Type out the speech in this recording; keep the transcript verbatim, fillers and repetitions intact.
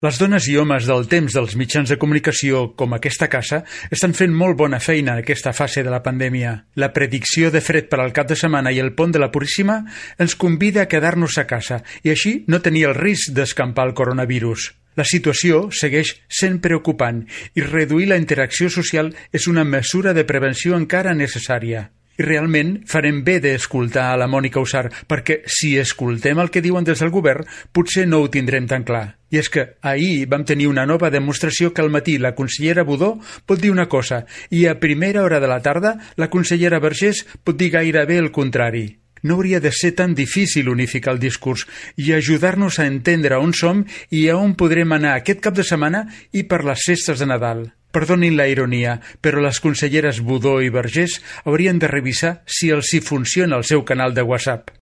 Les dones i homes del temps dels mitjans de comunicació, com aquesta casa, estan fent molt bona feina en aquesta fase de la pandèmia. La predicció de fred per al cap de setmana i el pont de la Puríssima ens convida a quedar-nos a casa i així no tenir el risc d'escampar el coronavirus. La situació segueix sent preocupant i reduir la interacció social és una mesura de prevenció encara necessària. I realment farem bé d'escoltar a la Mònica Usar, perquè si escoltem el que diuen des del govern, potser no ho tindrem tan clar. I és que ahir vam tenir una nova demostració que al matí la consellera Budó pot dir una cosa i a primera hora de la tarda la consellera Vergés pot dir gairebé el contrari. No hauria de ser tan difícil unificar el discurs i ajudar-nos a entendre on som i a on podrem anar aquest cap de setmana i per les festes de Nadal. Perdonin la ironia, però les conselleres Budó i Vergés haurien de revisar si els hi funciona el seu canal de WhatsApp.